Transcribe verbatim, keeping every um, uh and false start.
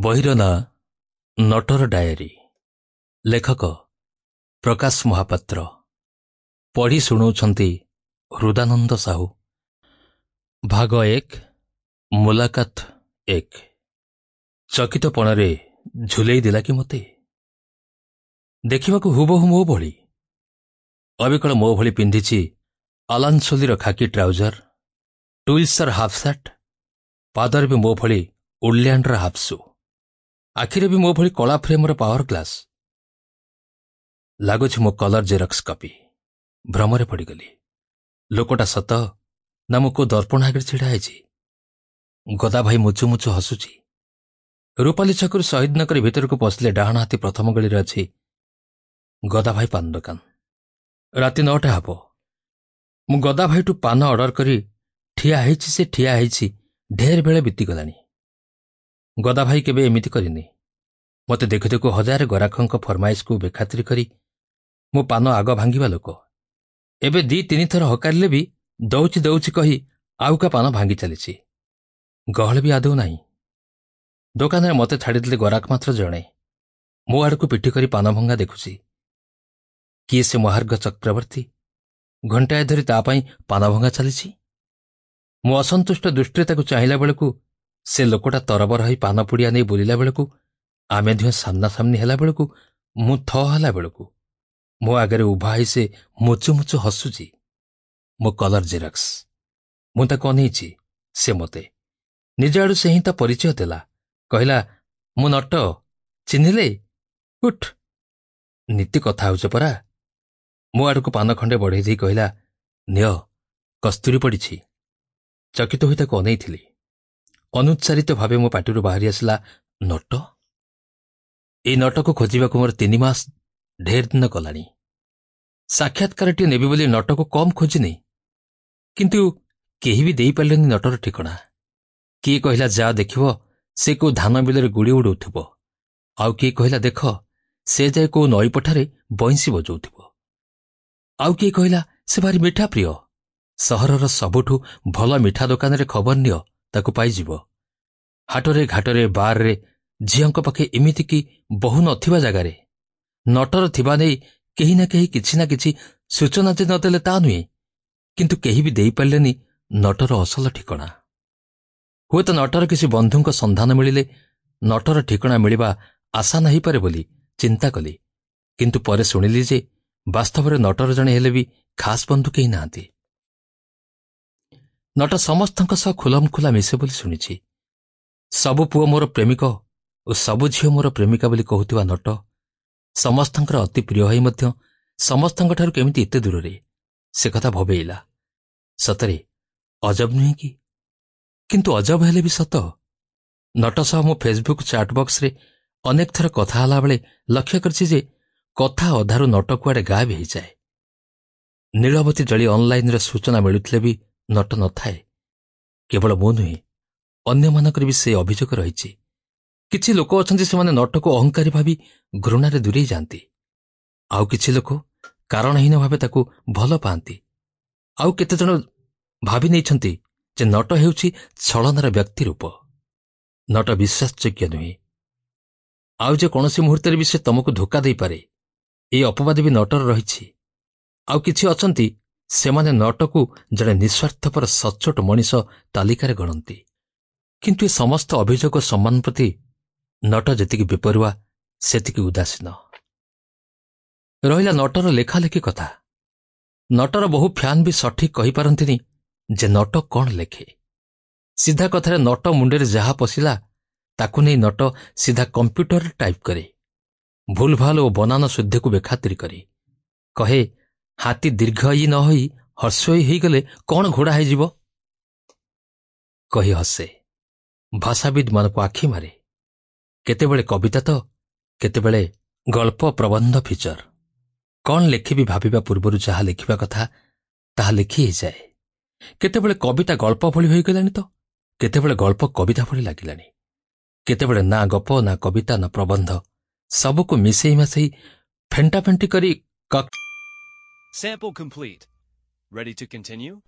ବହିର ନାଁ ନଟର ଡାଏରୀ ଲେଖକ ପ୍ରକାଶ ମହାପାତ୍ର ପଢ଼ି ଶୁଣାଉଛନ୍ତି ହୃଦାନନ୍ଦ ସାହୁ ଭାଗ ଏକ ମୁଲାକାତ ଏକ ଚକିତପଣରେ ଝୁଲେଇ ଦେଲା କି ମୋତେ ଦେଖିବାକୁ ହୁବହୁ ମୋ ଭଳି ଅବିକଳ ମୋ ଭଳି ପିନ୍ଧିଛି ଆଲାନସୋଲିର ଖାକି ଟ୍ରାଉଜର ଟୁଇଲ୍ସର ହାଫ୍ ସାର୍ଟ ପାଦରେ ବି ମୋ ଭଳି ଉଡଲ୍ୟାଣ୍ଡର ହାଫ୍ ସୁ ଆଖିରେ ବି ମୋ ଭଳି କଳା ଫ୍ରେମ୍ର ପାୱାର ଗ୍ଲାସ୍ ଲାଗୁଛି ମୋ କଲର ଜେରକ୍ସ କପି ଭ୍ରମରେ ପଡ଼ିଗଲି ଲୋକଟା ସତ ନା ମୁଁ କୋଉ ଦର୍ପଣ ଆଗରେ ଛିଡ଼ା ହେଇଛି ଗଦା ଭାଇ ମୁଚୁ ମୁଚୁ ହସୁଛି ରୂପାଲି ଛକରୁ ଶହୀଦନଗର ଭିତରକୁ ପଶିଲେ ଡାହାଣ ହାତୀ ପ୍ରଥମ ଗଳିରେ ଅଛି ଗଦା ଭାଇ ପାନ ଦୋକାନ ରାତି ନଅଟା ହେବ ମୁଁ ଗଦା ଭାଇଠୁ ପାନ ଅର୍ଡର କରି ଠିଆ ହେଇଛି ସେ ଠିଆ ହେଇଛି ଢେର ବେଳେ ବିତିଗଲାଣି ଗଦା ଭାଇ କେବେ ଏମିତି କରିନି ମୋତେ ଦେଖୁ ଦେଖୁ ହଜାରେ ଗରାଖଙ୍କ ଫରମାଇଶକୁ ବେଖାତିର କରି ମୁଁ ପାନ ଆଗ ଭାଙ୍ଗିବା ଲୋକ ଏବେ ଦି ତିନି ଥର ହକାରିଲେ ବି ଦଉଛି ଦଉଛି କହି ଆଉ କା ପାନ ଭାଙ୍ଗି ଚାଲିଛି ଗହଳି ବି ଆଦୌ ନାହିଁ ଦୋକାନରେ ମୋତେ ଛାଡ଼ିଦେଲେ ଗରାଖ ମାତ୍ର ଜଣେ ମୋ ଆଡ଼କୁ ପିଠି କରି ପାନ ଭଙ୍ଗା ଦେଖୁଛି କିଏ ସେ ମହାର୍ଘ ଚକ୍ରବର୍ତ୍ତୀ ଘଣ୍ଟାଏ ଧରି ତା ପାଇଁ ପାନ ଭଙ୍ଗା ଚାଲିଛି ମୁଁ ଅସନ୍ତୁଷ୍ଟ ଦୃଷ୍ଟିରେ ତାକୁ ଚାହିଁଲା ବେଳକୁ ସେ ଲୋକଟା ତରବର ହୋଇ ପାନ ପୁଡ଼ିଆ ନେଇ ବୁଲିଲା ବେଳକୁ ଆମେ ଦୁହେଁ ସାମ୍ନାସାମ୍ନି ହେଲା ବେଳକୁ ମୁଁ ଥ ହେଲା ବେଳକୁ ମୋ ଆଗରେ ଉଭା ହେଇ ସେ ମୁଚୁ ମୁଚୁ ହସୁଛି ମୋ କଲର ଜେରକ୍ସ ମୁଁ ତାକୁ ଅନେଇଛି ସେ ମୋତେ ନିଜ ଆଡ଼ୁ ସେ ହିଁ ତା ପରିଚୟ ଦେଲା କହିଲା ମୁଁ ନଟ ଚିହ୍ନିଲେ ଉଠ୍ ନୀତି କଥା ହେଉଛ ପରା ମୋ ଆଡ଼କୁ ପାନ ଖଣ୍ଡେ ବଢ଼େଇ ଦେଇ କହିଲା ନିଅ କସ୍ତୁରୀ ପଡ଼ିଛି ଚକିତ ହୋଇ ତାକୁ ଅନେଇଥିଲି ଅନୁଚ୍ଚାରିତ ଭାବେ ମୋ ପାଟିରୁ ବାହାରି ଆସିଲା ନଟ ଏଇ ନଟକୁ ଖୋଜିବାକୁ ମୋର ତିନି ମାସ ଢେର ଦିନ ଗଲାଣି ସାକ୍ଷାତକାରଟିଏ ନେବି ବୋଲି ନଟକୁ କମ୍ ଖୋଜିନି କିନ୍ତୁ କେହି ବି ଦେଇପାରିଲେନି ନଟର ଠିକଣା କିଏ କହିଲା ଯା ଦେଖିବ ସେ କୋଉ ଧାନ ବିଲରେ ଗୁଡ଼ି ଉଡ଼ଉଥିବ ଆଉ କିଏ କହିଲା ଦେଖ ସେ ଯାଏ କୋଉ ନଈ ପଠାରେ ବଇଁଶୀ ବଜାଉଥିବ ଆଉ କିଏ କହିଲା ସେ ଭାରି ମିଠା ପ୍ରିୟ ସହରର ସବୁଠୁ ଭଲ ମିଠା ଦୋକାନରେ ଖବର ନିଅ ତାକୁ ପାଇଯିବ ହାଟରେ ଘାଟରେ ବାର୍ରେ ଝିଅଙ୍କ ପାଖେ ଏମିତିକି ବହୁ ନଥିବା ଜାଗାରେ ନଟର ଥିବା ନେଇ କେହି ନା କେହି କିଛି ନା କିଛି ସୂଚନା ଯେ ନଦେଲେ ତା ନୁହେଁ କିନ୍ତୁ କେହି ବି ଦେଇପାରିଲେନି ନଟର ଅସଲ ଠିକଣା ହୁଏତ ନଟର କିଛି ବନ୍ଧୁଙ୍କ ସନ୍ଧାନ ମିଳିଲେ ନଟର ଠିକଣା ମିଳିବା ଆସାନ ହେଇପାରେ ବୋଲି ଚିନ୍ତା କଲି କିନ୍ତୁ ପରେ ଶୁଣିଲି ଯେ ବାସ୍ତବରେ ନଟର ଜଣେ ହେଲେ ବି ଖାସ୍ ବନ୍ଧୁ କେହି ନାହାନ୍ତି ନଟ ସମସ୍ତଙ୍କ ସହ ଖୁଲମଖୁଲା ମିଶେ ବୋଲି ଶୁଣିଛି ସବୁ ପୁଅ ମୋର ପ୍ରେମିକ ଓ ସବୁ ଝିଅ ମୋର ପ୍ରେମିକା ବୋଲି କହୁଥିବା ନଟ ସମସ୍ତଙ୍କର ଅତି ପ୍ରିୟ ହୋଇ ମଧ୍ୟ ସମସ୍ତଙ୍କଠାରୁ କେମିତି ଏତେ ଦୂରରେ ସେ କଥା ଭବେଇଲା ସତରେ ଅଜବ ନୁହେଁ କି କିନ୍ତୁ ଅଜବ ହେଲେ ବି ସତ ନଟ ସହ ମୁଁ ଫେସବୁକ୍ ଚାଟ୍ ବକ୍ସରେ ଅନେକ ଥର କଥା ହେଲାବେଳେ ଲକ୍ଷ୍ୟ କରିଛି ଯେ କଥା ଅଧାରୁ ନଟ କୁଆଡ଼େ ଗାୟବ ହେଇଯାଏ ନୀଳବତୀ ଜଳି ଅନଲାଇନରେ ସୂଚନା ମିଳୁଥିଲେ ବି ନଟ ନଥାଏ କେବଳ ମୁଁ ନୁହେଁ ଅନ୍ୟମାନଙ୍କର ବି ସେ ଅଭିଯୋଗ ରହିଛି କିଛି ଲୋକ ଅଛନ୍ତି ସେମାନେ ନଟକୁ ଅହଙ୍କାରୀ ଭାବି ଘୃଣାରେ ଦୂରେଇ ଯାଆନ୍ତି ଆଉ କିଛି ଲୋକ କାରଣହୀନ ଭାବେ ତାକୁ ଭଲ ପାଆନ୍ତି ଆଉ କେତେଜଣ ଭାବି ନେଇଛନ୍ତି ଯେ ନଟ ହେଉଛି ଛଳନାର ବ୍ୟକ୍ତି ରୂପ ନଟ ବିଶ୍ୱାସଯୋଗ୍ୟ ନୁହେଁ ଆଉ ଯେ କୌଣସି ମୁହୂର୍ତ୍ତରେ ବି ସେ ତମକୁ ଧୋକା ଦେଇପାରେ ଏହି ଅପବାଦ ବି ନଟର ରହିଛି ଆଉ କିଛି ଅଛନ୍ତି ସେମାନେ ନଟକୁ ଜଣେ ନିଃସ୍ୱାର୍ଥପର ସଚ୍ଚୋଟ ମଣିଷ ତାଲିକାରେ ଗଣନ୍ତି କିନ୍ତୁ ଏ ସମସ୍ତ ଅଭିଯୋଗ ସମ୍ମାନ ପ୍ରତି ନଟ ଯେତିକି ବେପରୁଆ ସେତିକି ଉଦାସୀନ ରହିଲା ନଟର ଲେଖାଲେଖି କଥା ନଟର ବହୁ ଫ୍ୟାନ୍ ବି ସଠିକ୍ କହିପାରନ୍ତିନି ଯେ ନଟ କ'ଣ ଲେଖେ ସିଧା କଥାରେ ନଟ ମୁଣ୍ଡରେ ଯାହା ପଶିଲା ତାକୁ ନେଇ ନଟ ସିଧା କମ୍ପ୍ୟୁଟରରେ ଟାଇପ୍ କରେ ଭୁଲଭାଲ ଓ ବନାନ ଶୁଦ୍ଧିକୁ ବେଖାତିର କରି କହେ ହାତୀ ଦୀର୍ଘ ଇ ନ ହୋଇ ହର୍ଷଇ ହେଇଗଲେ କ'ଣ ଘୋଡ଼ା ହେଇଯିବ କହି ହସେ ଭାଷାବିଦ୍ମାନଙ୍କୁ ଆଖି ମାରେ କେତେବେଳେ କବିତା ତ କେତେବେଳେ ଗଳ୍ପ ପ୍ରବନ୍ଧ ଫିଚର କ'ଣ ଲେଖିବି ଭାବିବା ପୂର୍ବରୁ ଯାହା ଲେଖିବା କଥା ତାହା ଲେଖି ହେଇଯାଏ କେତେବେଳେ କବିତା ଗଳ୍ପ ଭଳି ହୋଇଗଲାଣି ତ କେତେବେଳେ ଗଳ୍ପ କବିତା ଭଳି ଲାଗିଲାଣି କେତେବେଳେ ନା ଗପ ନା କବିତା ନା ପ୍ରବନ୍ଧ ସବୁକୁ ମିଶେଇ ମାସେଇ ଫେଣ୍ଟାଫେଣ୍ଟି କରି Sample complete. Ready to continue?